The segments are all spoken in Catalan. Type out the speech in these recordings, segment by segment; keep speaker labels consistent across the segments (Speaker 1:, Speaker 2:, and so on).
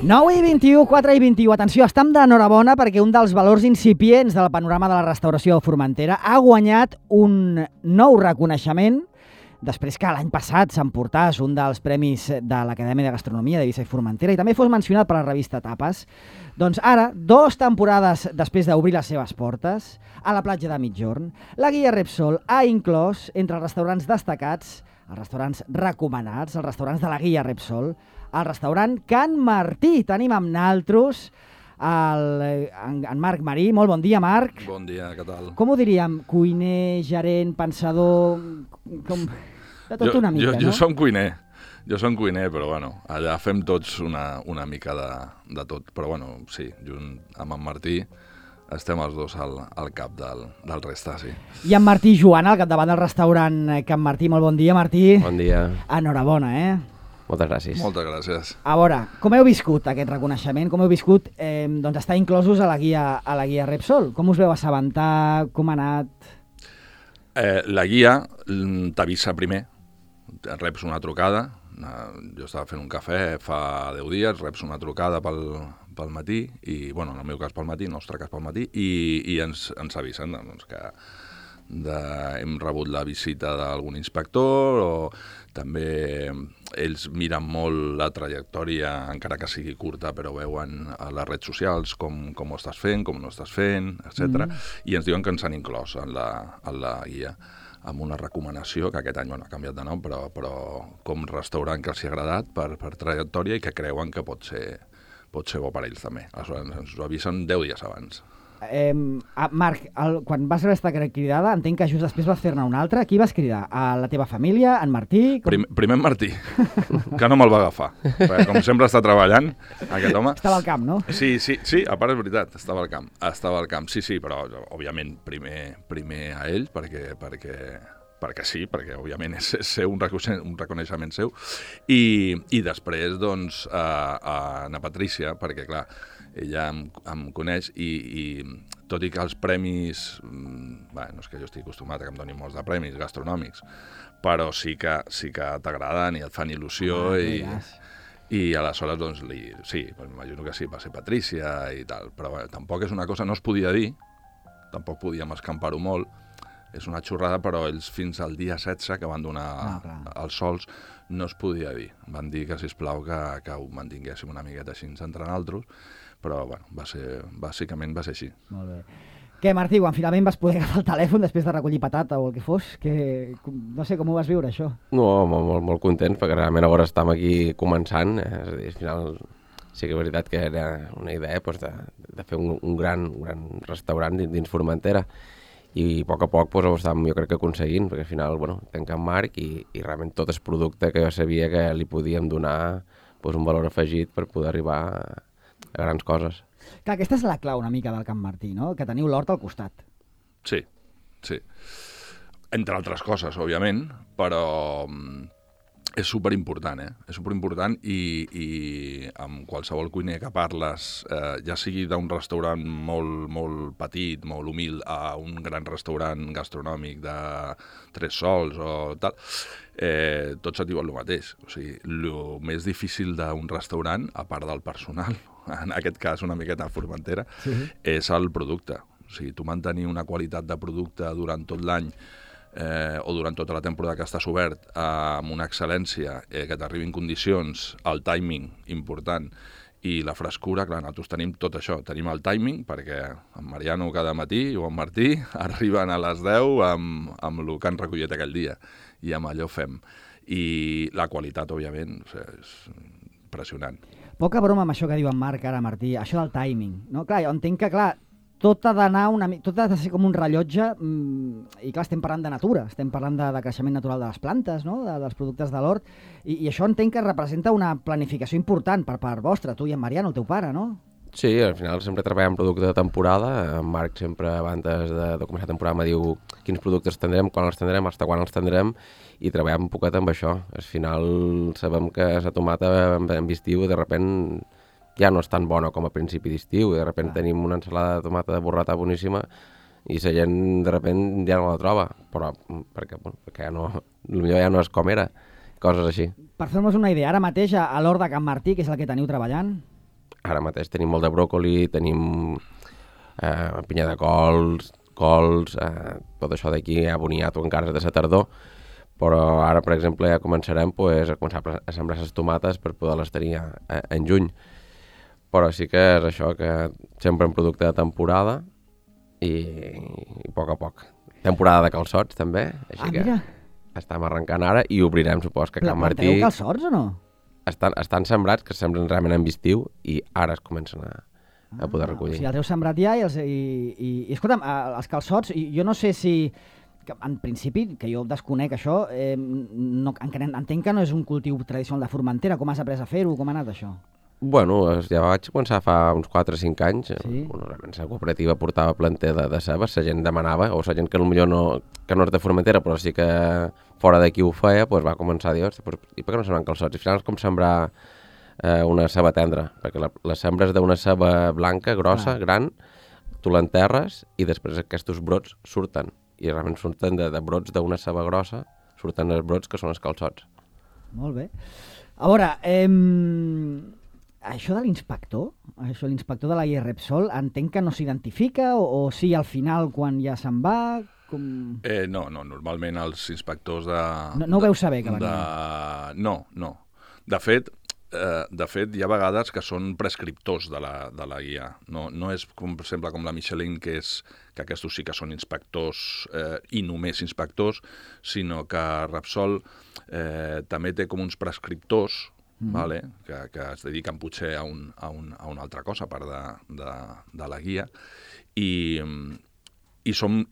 Speaker 1: 9 i 21, 4 i 21. Atenció, estem d'enhorabona perquè un dels valors incipients del panorama de la restauració a Formentera ha guanyat un nou reconeixement després que l'any passat s'emportàs un dels premis de l'Acadèmia de Gastronomia d'Eivissa i Formentera i també fos mencionat per la revista Tapes. Doncs ara, 2 temporades després d'obrir les seves portes, a la platja de Migjorn, la guia Repsol ha inclòs entre els restaurants destacats, els restaurants recomanats, els restaurants de la guia Repsol, el restaurant Can Martí. Tenim amb naltros en Marc Marí. Molt bon dia, Marc.
Speaker 2: Bon dia, què tal?
Speaker 1: Com ho diríem? Cuiner, gerent, pensador... De tot una mica, no?
Speaker 2: Jo som cuiner. Jo som cuiner, però bueno, allà fem tots una mica de tot. Però bueno, sí, junt amb en Martí estem els dos al cap del resta, sí.
Speaker 1: I en Martí Joan, al capdavant del restaurant Can Martí. Molt bon dia, Martí.
Speaker 3: Bon dia.
Speaker 1: Enhorabona,
Speaker 3: Moltes gràcies.
Speaker 2: Moltes gràcies.
Speaker 1: A veure, com heu viscut aquest reconeixement? Com heu viscut doncs, estar inclosos a la guia Repsol? Com us veu assabentar? Com ha anat?
Speaker 2: La guia t'avisa primer. Reps una trucada. Jo estava fent un cafè fa 10 dies, reps una trucada pel matí, i, bueno, en el meu cas pel matí, en el nostre cas pel matí, i ens avisen doncs, que hem rebut la visita d'algun inspector, o també ells miren molt la trajectòria, encara que sigui curta, però veuen a les redes socials com ho estàs fent, com no estàs fent, etc. I ens diuen que ens han inclòs en la guia, amb una recomanació, que aquest any ha canviat de nom, però com restaurant que els ha agradat per trajectòria i que creuen que pot ser bo per ells també. Aleshores ens ho avisen 10 dies abans.
Speaker 1: Marc, quan vas rebre aquesta cridada, entenc que just després vas fer-ne una altra. Qui vas cridar? A la teva família? En Martí?
Speaker 2: Primer en Martí, que no me'l va agafar. Perquè com sempre està treballant, aquest home...
Speaker 1: Estava al camp, no?
Speaker 2: Sí, a part és veritat, estava al camp. Sí, però òbviament primer a ell, perquè sí, perquè òbviament és ser un reconeixement seu, i després doncs a Ana Patrícia, perquè clar, ella em coneix i tot i que els premis, no és que jo estic acostumat a que em donin molts de premis gastronòmics, però sí que t'agraden i et fan il·lusió i aleshores doncs sí, m'imagino que sí, va ser Patrícia i tal, però tampoc és una cosa, no es podia dir, tampoc podíem escampar-ho molt, és una xorrada, però ells fins al dia 16 que van donar els sols no es podia dir. Van dir que, sisplau, que ho mantinguéssim una miqueta així entre nosaltres, però bueno, bàsicament va ser així.
Speaker 1: Molt bé. Què, Martí, quan finalment vas poder agafar el telèfon després de recollir patata o el que fos, no sé com ho vas viure, això?
Speaker 3: No, molt contents, perquè realment ara estem aquí començant, és a dir, al final sí que és veritat que era una idea de fer un gran restaurant dins Formentera, i a poc ho estàvem, jo crec que aconseguint, perquè al final, tanquem Marc i realment tot és producte que jo sabia que li podíem donar un valor afegit per poder arribar a grans coses.
Speaker 1: Clar, aquesta és la clau una mica del Can Martí, no? Que teniu l'hort al costat.
Speaker 2: Sí. Entre altres coses, òbviament, però és superimportant, És superimportant i amb qualsevol cuiner que parles, ja sigui d'un restaurant molt petit, molt humil, a un gran restaurant gastronòmic de 3 sols o tal, tots et diuen el mateix. O sigui, el més difícil d'un restaurant, a part del personal, en aquest cas una miqueta Formentera, és el producte. O sigui, tu mantenir una qualitat de producte durant tot l'any o durant tota la temporada que estàs obert amb una excel·lència que t'arribi en condicions, el timing important i la frescura, clar, nosaltres tenim tot això, tenim el timing perquè en Mariano cada matí o en Martí arriben a les 10 amb el que han recollit aquell dia i amb allò fem. I la qualitat, òbviament, és impressionant.
Speaker 1: Poca broma amb això que diu en Marc ara, Martí, això del timing, no? Clar, jo entenc que, clar, tot ha de ser com un rellotge i clar, estem parlant de natura, estem parlant de creixement natural de les plantes, no? dels productes de l'hort, i això entenc que representa una planificació important per part vostra, tu i en Mariano, el teu pare, no?
Speaker 3: Sí, al final sempre treballem producte de temporada, en Marc sempre abans de començar la temporada me diu quins productes tindrem, quan els tindrem, fins quan els tindrem, i treballem un poquet amb això. Al final sabem que la tomata en estiu de sobte ja no és tan bona com a principi d'estiu, i de sobte tenim una ensalada de tomata de burrata boníssima i la gent de sobte ja no la troba, però perquè potser ja no és com era, coses així.
Speaker 1: Per fer-nos una idea, ara mateix a l'hort de Can Martí, que és el que teniu treballant?
Speaker 3: ara mateix tenim molt de bròcoli, tenim pinya de cols, tot això d'aquí, boniato encara és de la tardor, però ara, per exemple, ja començarem a començar a sembrar les tomates per poder-les tenir en juny. Però sí que és això, que sempre en producte de temporada i a poc. Temporada de calçots, també, així que
Speaker 1: mira.
Speaker 3: estem arrencant ara i obrirem, supos que Can Martí...
Speaker 1: Planteu calçots o no?
Speaker 3: Estan sembrats, que sembren realment en estiu, i ara es comencen a poder recollir.
Speaker 1: O sigui, els heu sembrat ja i escolta'm, els calçots, jo no sé si... En principi, que jo desconec això, entenc que no és un cultiu tradicional de Formentera. Com has après a fer-ho? Com ha anat això?
Speaker 3: Bueno, ja vaig començar fa uns 4 o 5 anys.
Speaker 1: Sí?
Speaker 3: Realment la cooperativa portava planter de cebes, la gent demanava, o la gent que potser no és de Formentera, però sí que fora d'aquí ho feia, doncs va començar a dir, i per què no sembren calçots? I al final és com sembrar una ceba tendra, perquè la sembres d'una ceba blanca, grossa, gran, tu l'enterres i després aquests brots surten. I realment surten de brots d'una ceba grossa, surten els brots que són els calçots.
Speaker 1: Molt bé. A veure, això de l'inspector, l'inspector de la guia Repsol, entenc que no s'identifica o sí al final quan ja se'n va?
Speaker 2: No, normalment els inspectors de...
Speaker 1: No ho veu saber que venien?
Speaker 2: No. De fet, hi ha vegades que són prescriptors de la guia. No és, com, per exemple, com la Michelin, que aquests sí que són inspectors i només inspectors, sinó que Repsol també té com uns prescriptors, vale? que es dediquen potser a una altra cosa, a part de la guia, i són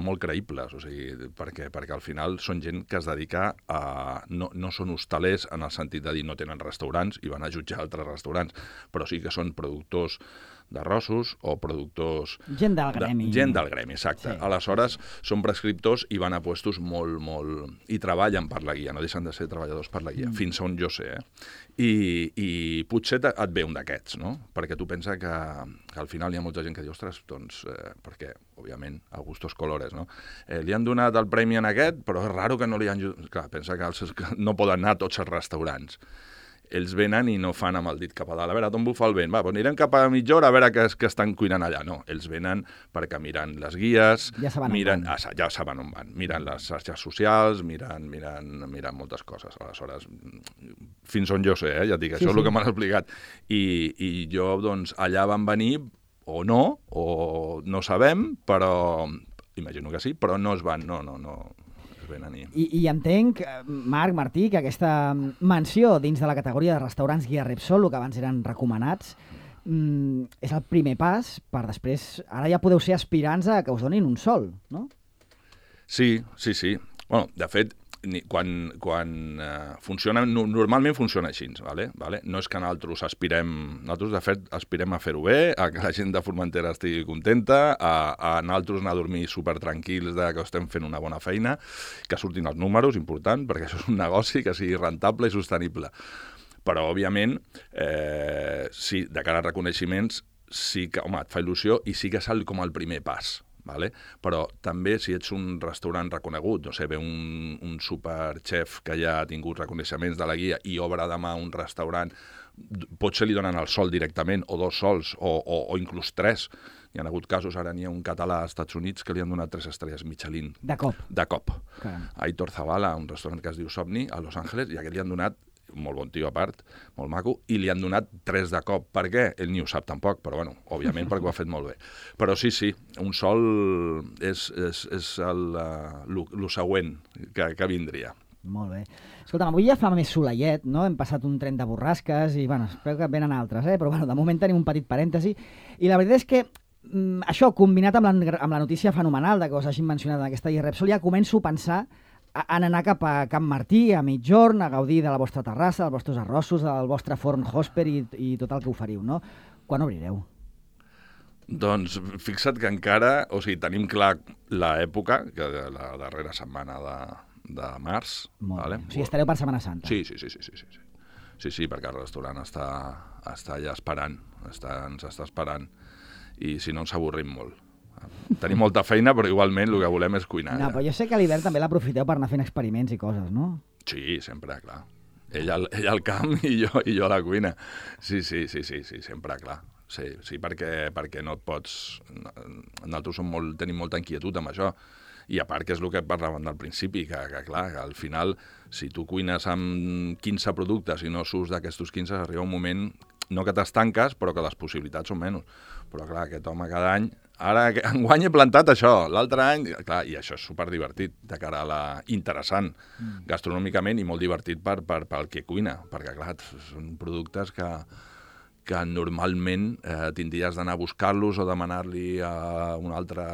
Speaker 2: molt creïbles, o sigui, perquè al final són gent que es dedica a... No són hostalers en el sentit de dir no tenen restaurants i van a jutjar altres restaurants, però sí que són productors d'arrossos o productors...
Speaker 1: Gent del gremi.
Speaker 2: Gent del gremi, exacte. Sí. Aleshores, són prescriptors i van a puestos molt... i treballen per la guia, no deixen de ser treballadors per la guia, fins on jo sé, I potser et ve un d'aquests, no? Perquè tu pensa que al final hi ha molta gent que diu, ostres, doncs, perquè, òbviament, a gustos colores, no? Li han donat el premi en aquest, però és raro que no li han... Clar, pensa que no poden anar a tots els restaurants. Ells venen i no fan amb el dit cap a dalt. A veure, d'on bufa el vent? Va, doncs anirem cap a mitja hora a veure què estan cuinant allà. No, ells venen perquè miren les guies,
Speaker 1: ja
Speaker 2: saben on van. Miren les xarxes socials, miren moltes coses. Aleshores, fins on jo sé, ja et dic, això és el que m'han explicat. I jo, doncs, allà van venir, o no sabem, però imagino que sí, però no es van, no.
Speaker 1: I entenc, Marc, Martí, que aquesta menció dins de la categoria de restaurants guia Repsol, que abans eren recomanats, és el primer pas per després... Ara ja podeu ser aspirants a que us donin un sol, no? Sí.
Speaker 2: Bueno, de fet, quan funciona... Normalment funciona així, ¿vale? No és que nosaltres de fet, aspirem a fer-ho bé, a que la gent de Formentera estigui contenta, a nosaltres anar a dormir supertranquils que estem fent una bona feina, que surtin els números, important, perquè això és un negoci que sigui rentable i sostenible. Però, òbviament, sí, de cara a reconeixements, sí que, home, et fa il·lusió i sí que és com el primer pas. Vale? Però també si ets un restaurant reconegut, no sé, ve un superchef que ja ha tingut reconeixements de la guia i obre demà un restaurant, potser li donen el sol directament, o 2 sols, o inclús 3. Hi ha hagut casos, ara n'hi ha un català als Estats Units que li han donat 3 estrelles Michelin.
Speaker 1: De cop.
Speaker 2: Aitor Zavala, un restaurant que es diu Somni, a Los Angeles, i aquest li han donat, molt bon tio a part, molt maco, i li han donat 3 de cop. Per què? Ell ni ho sap tampoc, però bueno, òbviament perquè ho ha fet molt bé. Però sí, un sol és el següent que vindria.
Speaker 1: Molt bé. Escolta'm, avui ja fa més soleiet, no? Hem passat un tren de borrasques i, bueno, espero que venen altres, però bueno, de moment tenim un petit parèntesi. I la veritat és que això, combinat amb la notícia fenomenal de que us hagin mencionat en aquesta guia Repsol, ja començo a pensar en anar cap a Can Martí, a mitjorn, a gaudir de la vostra terrassa, dels vostres arrossos, del vostre forn Hosper i tot el que oferiu, no? Quan obrireu?
Speaker 2: Doncs fixa't que encara, o sigui, tenim clar l'època, que la darrera setmana de març. Vale?
Speaker 1: O sigui, estareu per Setmana Santa.
Speaker 2: Sí. Sí, perquè el restaurant està allà esperant, ens està esperant, i si no ens avorrim molt. Tenim molta feina, però igualment el que volem és cuinar.
Speaker 1: No, però jo sé que a l'hivern també l'aprofiteu per anar fent experiments i coses, no?
Speaker 2: Sí, sempre, clar. Ell al camp i jo a la cuina. Sí, sempre, clar. Sí, perquè no et pots... Nosaltres tenim molta inquietud amb això. I a part que és el que parlàvem al principi, que clar, que al final, si tu cuines amb 15 productes i no surts d'aquests 15, arriba un moment, no que t'estanques, però que les possibilitats són menys. Però clar, aquest home cada any... Ara, enguany he plantat això, l'altre any... Clar, i això és superdivertit, de cara a la... interessant, gastronòmicament, i molt divertit pel que cuina, perquè clar, són productes que normalment tindries d'anar a buscar-los o demanar-li a un altre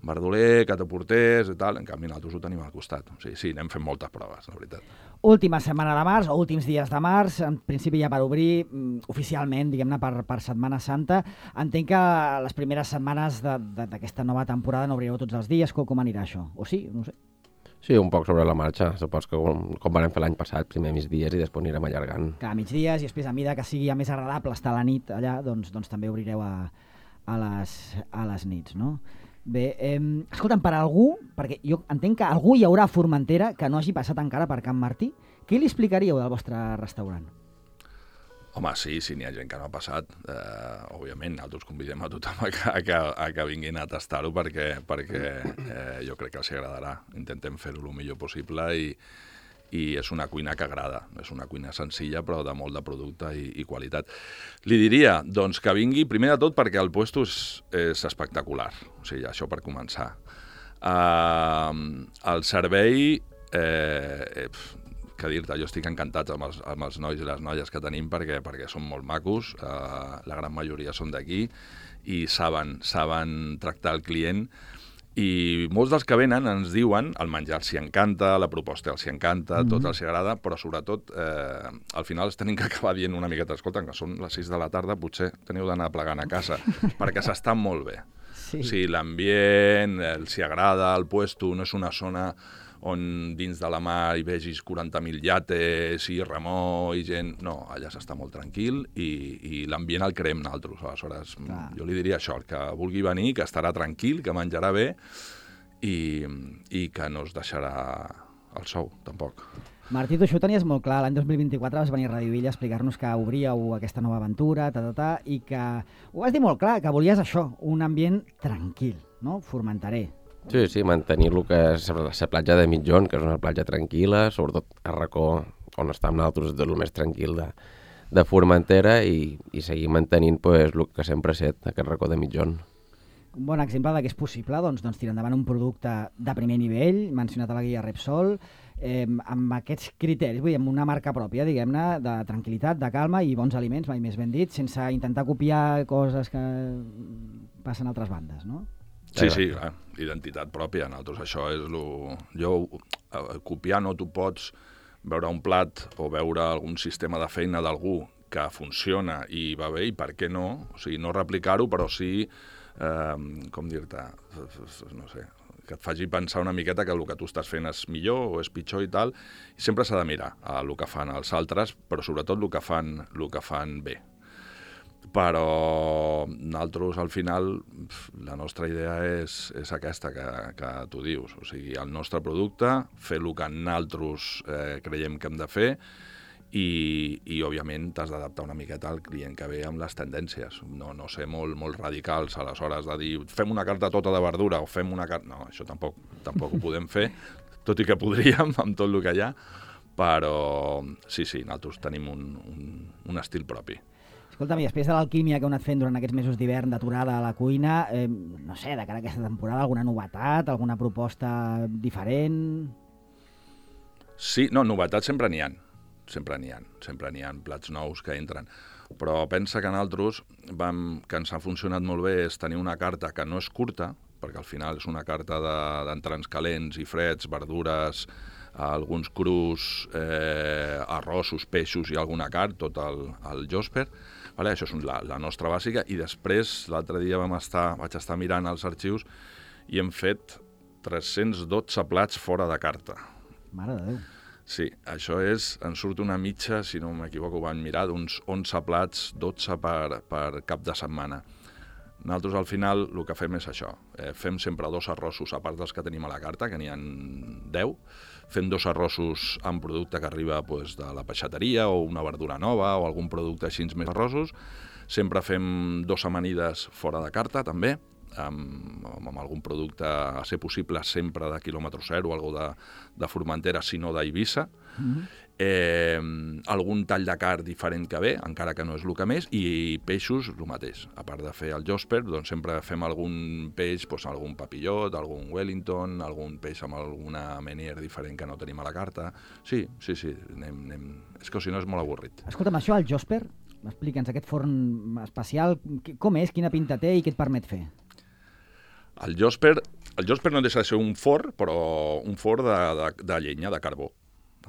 Speaker 2: verdoler que t'aportés i tal. En canvi, nosaltres ho tenim al costat. Sí, n'hem fet moltes proves, la veritat.
Speaker 1: Última setmana de març, o últims dies de març, en principi ja per obrir oficialment, diguem-ne, per Setmana Santa. Entenc que les primeres setmanes d'aquesta nova temporada no obrireu tots els dies. Com anirà això? O sí? No ho sé.
Speaker 3: Sí, un poc sobre la marxa. Supos que com vam fer l'any passat, primer migdies i després anirem allargant.
Speaker 1: Clar, migdies i després a mida que sigui ja més agradable estar a la nit allà, doncs també obrireu a les nits, no? Bé, escolta'm, per algú, perquè jo entenc que algú hi haurà a Formentera que no hagi passat encara per Can Martí, què li explicaríeu del vostre restaurant?
Speaker 2: Home, sí, n'hi ha gent que no ha passat. Òbviament, nosaltres convidem a tothom a que vinguin a tastar-ho perquè jo crec que els agradarà. Intentem fer-ho el millor possible i és una cuina que agrada. És una cuina senzilla, però de molt de producte i qualitat. Li diria, doncs, que vingui, primer de tot, perquè el puesto és espectacular. O sigui, això per començar. El servei... que dir-te, jo estic encantat amb els nois i les noies que tenim perquè són molt macos, la gran majoria són d'aquí i saben tractar el client i molts dels que venen ens diuen el menjar els hi encanta, la proposta els hi encanta, tot els hi agrada, però sobretot al final es tenim que acabar dient una miqueta, escolta, que són les 6 de la tarda, potser teniu d'anar plegant a casa, perquè s'està molt bé. Sí. O sigui, l'ambient, els hi agrada, el puesto, no és una zona on dins de la mar hi vegis 40.000 llates i remor i gent... No, allà s'està molt tranquil i l'ambient el creem nosaltres. Aleshores, jo li diria això, el que vulgui venir, que estarà tranquil, que menjarà bé i que no es deixarà el sou, tampoc.
Speaker 1: Martí, tu això ho tenies molt clar. L'any 2024 vas venir a Radio Villa a explicar-nos que obríeu aquesta nova aventura, i que ho vas dir molt clar, que volies això, un ambient tranquil, no? Formenterer.
Speaker 3: Sí, mantenir el que és la platja de Mitjón, que és una platja tranquil·la, sobretot a racó on estem nosaltres, és el més tranquil de Formentera i seguir mantenint el que sempre ha estat, aquest racó de Mitjón.
Speaker 1: Un bon exemple que és possible, doncs tirar endavant un producte de primer nivell, mencionat a la guia Repsol, amb aquests criteris, vull dir, amb una marca pròpia, diguem-ne, de tranquil·litat, de calma i bons aliments, mai més ben dit, sense intentar copiar coses que passen a altres bandes, no?
Speaker 2: Sí, clar, identitat pròpia. Nosaltres això és copiar no t'ho pots veure un plat o veure algun sistema de feina d'algú que funciona i va bé, i per què no? O sigui, no replicar-ho, però sí, com dir-te, no sé, que et faci pensar una miqueta que el que tu estàs fent és millor o és pitjor i tal, i sempre s'ha de mirar el que fan els altres, però sobretot el que fan bé. Però nosaltres, al final, la nostra idea és aquesta que tu dius. O sigui, el nostre producte, fer el que nosaltres creiem que hem de fer i òbviament, t'has d'adaptar una miqueta al client que ve amb les tendències. No ser molt radicals, aleshores, de dir fem una carta tota de verdura o fem una carta... No, això tampoc ho podem fer, tot i que podríem amb tot el que hi ha, però sí, nosaltres tenim un estil propi.
Speaker 1: Escolta'm, i després de l'alquímia que heu anat fent durant aquests mesos d'hivern d'aturada a la cuina, no sé, de cara a aquesta temporada, alguna novetat, alguna proposta diferent?
Speaker 2: Sí, no, novetats sempre n'hi ha. Sempre n'hi ha plats nous que entren. Però pensa que nosaltres, que ens ha funcionat molt bé, és tenir una carta que no és curta, perquè al final és una carta d'entrants calents i freds, verdures, alguns crus, arrossos, peixos i alguna carn, tot el Josper. Vale, això és la nostra bàsica, i després l'altre dia vaig estar mirant els arxius i hem fet 312 plats fora de carta.
Speaker 1: Mare de Déu.
Speaker 2: Sí, això ens surt una mitja, si no m'equivoco, vam mirar, d'uns 11 plats, 12 per cap de setmana. Nosaltres al final el que fem és això, fem sempre 2 arrossos a part dels que tenim a la carta, que n'hi ha 10, fem 2 arrossos amb producte que arriba de la peixateria o una verdura nova o algun producte així més arrossos, sempre fem 2 amanides fora de carta també, amb algun producte a ser possible sempre de quilòmetre zero, algú de Formentera, sinó d'Eivissa, algun tall de carn diferent que ve, encara que no és el que més, i peixos el mateix. A part de fer el Josper, doncs sempre fem algun peix, algun papillot, algun Wellington, algun peix amb alguna menier diferent que no tenim a la carta. Sí, anem... És que si no és molt avorrit.
Speaker 1: Escolta'm, això, el Josper, explica'ns aquest forn especial, com és, quina pinta té i què et permet fer?
Speaker 2: El Josper no deixa de ser un forn, però un forn de llenya, de carbó.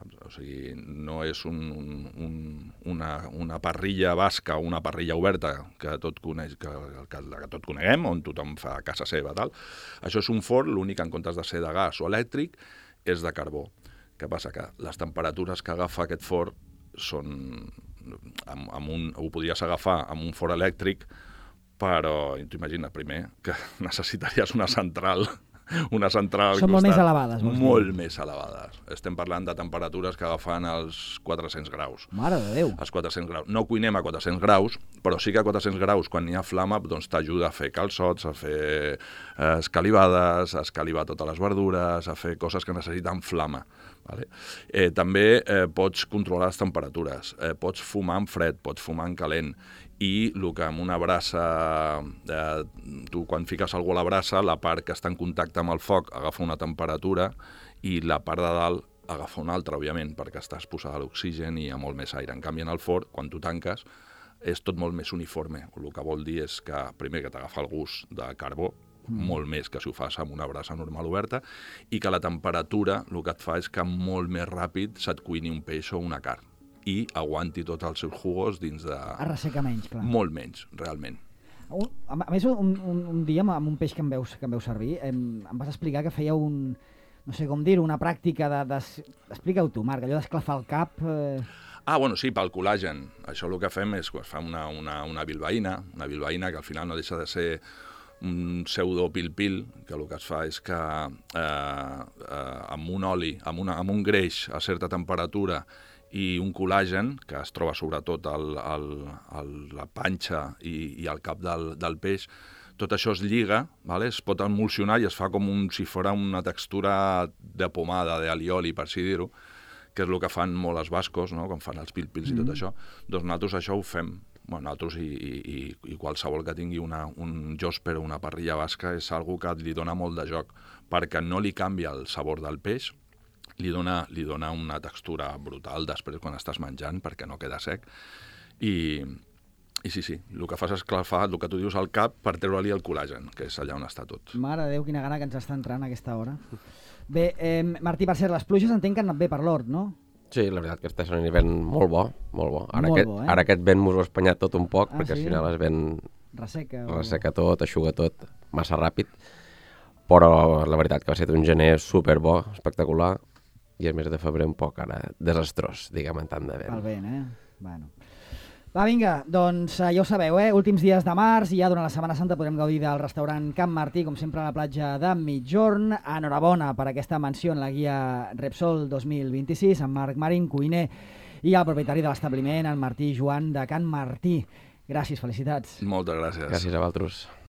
Speaker 2: O sigui, no és una parrilla basca o una parrilla oberta que tot coneguem, on tothom fa a casa seva. Tal. Això és un forn, l'únic en comptes de ser de gas o elèctric és de carbó. Què passa? Que les temperatures que agafa aquest forn són... ho podries agafar amb un forn elèctric, però t'imagina, primer, que necessitaries una central
Speaker 1: Són molt més elevades.
Speaker 2: Molt més elevades. Estem parlant de temperatures que agafen els 400 graus.
Speaker 1: Mare de Déu.
Speaker 2: Els 400 graus. No cuinem a 400 graus, però sí que a 400 graus, quan hi ha flama, doncs t'ajuda a fer calçots, a fer escalivades, a escalivar totes les verdures, a fer coses que necessiten flama. Vale? També pots controlar les temperatures, pots fumar en fred, pots fumar en calent, i el que amb una brasa, tu quan fiques algú a la brasa, la part que està en contacte amb el foc agafa una temperatura i la part de dalt agafa una altra, òbviament, perquè estàs posada a l'oxigen i hi ha molt més aire. En canvi, en el forn, quan tu tanques, és tot molt més uniforme. El que vol dir és que, primer, que t'agafa el gust de carbó, molt més que si ho fas amb una brasa normal oberta, i que la temperatura el que et fa és que molt més ràpid se't cuini un peix o una carn i aguanti tots els seus jugos dins de...
Speaker 1: Es resseca menys, clar.
Speaker 2: Molt menys, realment.
Speaker 1: A més, un dia amb un peix que em veus servir, em vas explicar que feia no sé com dir-ho, una pràctica explica-ho tu, Marc, allò d'esclafar el cap...
Speaker 2: Bueno, sí, pel col·làgen. Això el que fem és que es fa una bilbaïna que al final no deixa de ser un pseudo-pil-pil, que el que es fa és que amb un oli, amb un greix a certa temperatura i un col·làgen, que es troba sobretot a la panxa i al cap del peix, tot això es lliga, vale? Es pot emulsionar i es fa com si fos una textura de pomada, d'alioli, per així dir-ho, que és el que fan molt els bascos, no? Quan fan els pil-pils i tot això. Doncs nosaltres això ho fem. Nosaltres i qualsevol que tingui un Josper o una parrilla basca és algo que li dona molt de joc, perquè no li canvia el sabor del peix, li dona una textura brutal després quan estàs menjant, perquè no queda sec. I sí, el que fas és esclafar el que tu dius al cap per treure-li el col·làgen, que és allà on està tot.
Speaker 1: Mare de Déu, quina gana que ens està entrant a aquesta hora. Bé, Martí, per ser les pluges entenc que han anat bé per l'hort, no?
Speaker 3: Sí, la veritat que està sent un hivern molt bo, molt bo. Ara aquest vent m'ho ha espanyat tot un poc, perquè al final es ven... Resseca tot, eixuga tot, massa ràpid, però la veritat que va ser un gener superbo, espectacular, i el mes de febrer un poc ara desastrós, diguem, en tant de vent.
Speaker 1: El vent, Bueno. Va, vinga, doncs ja ho sabeu, últims dies de març i ja durant la Setmana Santa podrem gaudir del restaurant Can Martí, com sempre a la platja de Migjorn. Enhorabona per aquesta menció en la guia Repsol 2026, en Marc Marín, cuiner, i el propietari de l'establiment, en Martí Joan de Can Martí. Gràcies, felicitats.
Speaker 2: Moltes gràcies.
Speaker 3: Gràcies a vosaltres.